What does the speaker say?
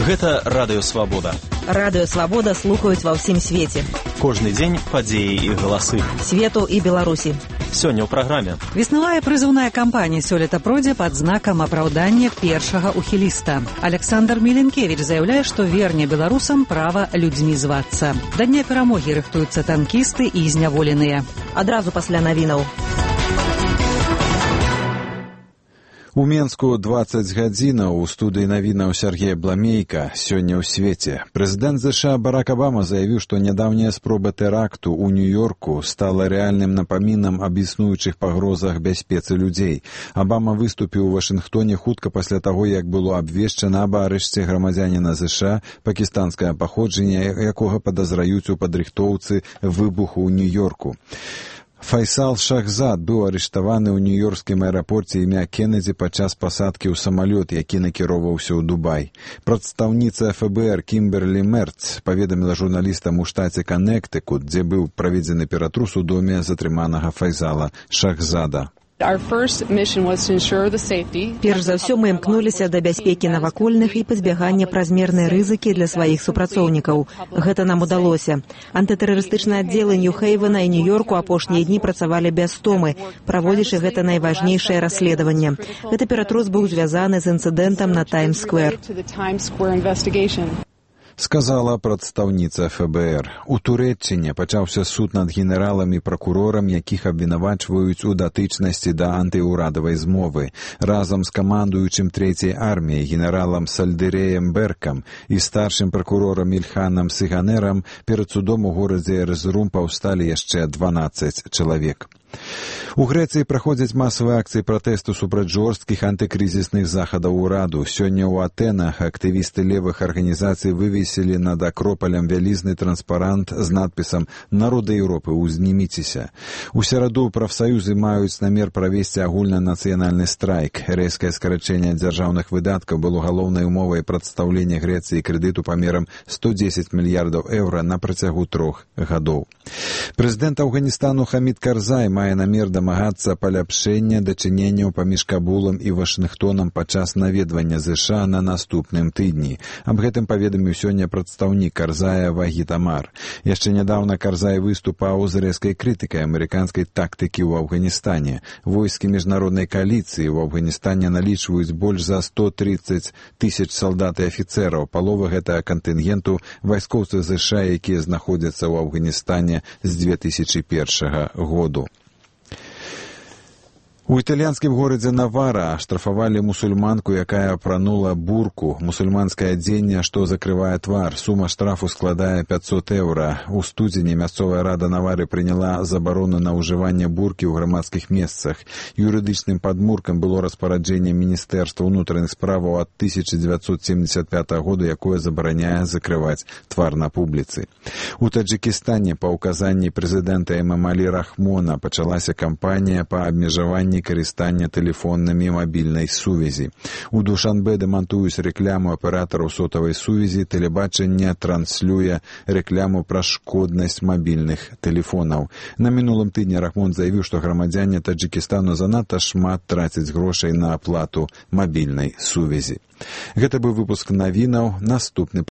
Гэта Радыё Свабода. Радыё Свабода слухаюць ва ўсім свеце. Кожны дзень падзеі і галасы. Свету і Беларусі. Сёння ў праграме. Веснавая прызыўная кампанія сёлета пройдзе пад знакам апраўдання першага ухіліста. Александр Міленкевіч заяўляе, што верне беларусам права людзьмі звацца. Да дня перамогі рыхтуюцца танкісты і зняволеныя. Адразу пасля навінаў. У Менску 20 гадзінаў у студыі навінаў Сергея Бламейка сёння ў свеце. Прэзідэнт ЗША Барак Абама заявіў, што нядаўняя спроба тэракту ў Нью-Йорку стала рэальным напамінам аб існуючых пагрозах бяспецы людзей. Абама выступіў у Вашынгтоне хутка пасля таго, як было абвешчана аб арышце грамадзяніна ЗША, пакістанскае паходжання, якога падазраюць у падрыхтоўцы выбуху ў Нью-Йорку. Файсал Шахзад быў арыштаваны ў нью-йоркскім аэрапорце імя Кеннеді падчас пасадкі ў самалёт, які накіроўваўся ў Дубай. Прадстаўніца ФБР Кімберлі Мерц паведаміла журналістам у штаце Каннектыкут, дзе быў праведзены ператрус у доме затрыманага Файсала Шахзада. Перш за ўсё мы імкнуліся да бяспекі навакольных і пазбягання празмернай рызыкі для сваіх супрацоўнікаў. Гэта нам удалося. Антытэрарыстычныя аддзелы Нью-Хейвена і Нью-Йорку апошнія дні працавалі без стомы, праводзячы гэта найважнейшае расследаванне. Гэты ператрус быў звязаны з інцыдэнтам на Таймс-сквер. Сказала прадстаўніца ФБР. У Турэччыне пачаўся суд над генералам і пракурорам, якіх абвінавачваюць у датычнасці да антыўрадавай змовы. Разам з камандуючым трэцяй арміяй генералам Сальдырэем Беркам і старшым пракурорам Ільханам Сыганерам перад судом у горадзе Эрзрум паўсталі яшчэ 12 чалавек. У Грэцыі праходзяць масавыя акцыі пратэсту супраць жорсткіх антыкрызісных захадаў ураду. Сёння ў Атэнах актывісты левых арганізацый вывесілі над акропалем вялізны транспарант з надпісам «Народы Еўропы, узніміцеся». У сераду прафсаюзы маюць намер правесці агульнанацыянальны страйк. Рэзкае скарачэнне дзяржаўных выдаткаў было галоўнай умовай прадстаўлення Грэцыі крэдыту памерам 110 мільярдаў еўра на працягу 3 гадоў. Прэзідэнт Афганістану Хамід Карзай мае намер дамагацца паляпшэння дачыненняў паміж Кабулам і Вашынгтонам падчас наведвання ЗША на наступным тыдні. Аб гэтым паведаміў сёння прадстаўнік Карзая Вагід Амар. Яшчэ нядаўна Карзай выступаў з рэзкай крытыкай амерыканскай тактыкі ў Афганістане. Войскі міжнароднай кааліцыі ў Афганістане налічваюць больш за 130 тысяч салдат і афіцэраў. Палова гэтага кантынгенту вайскоўцы ЗША, якія знаходзяцца ў Афганістане з 2001 году. У італьянскім горадзе Навара штрафавалі мусульманку, якая апранула бурку, мусульманскае адзенне, што закрывае твар. Сума штрафу складае 500 еўра. У студзені мясцовая рада Навары прыняла забарону на ўжыванне буркі ў грамадскіх месцах. Юрыдычным падмуркам было распараджэнне Міністэрства ўнутраных справаў ад 1975 года, якое забараняе закрываць твар на публіцы. У Таджыкістане па ўказанні прэзідэнта Эмамалі Рахмона пачалася кампанія па абмежаванні карыстання тэлефоннымі мабільнай сувязі. У Душанбе дэмантуюць рэкляму аператараў сотавай сувязі, тэлебачанне транслюе рэкляму пра шкоднасць мабільных тэлефонаў. На мінулым тыдні Рахмон заявіў, што грамадзяне Таджыкістану занадта шмат трацяць грошай на аплату мабільнай сувязі. Гэта быў выпуск навінаў. Наступны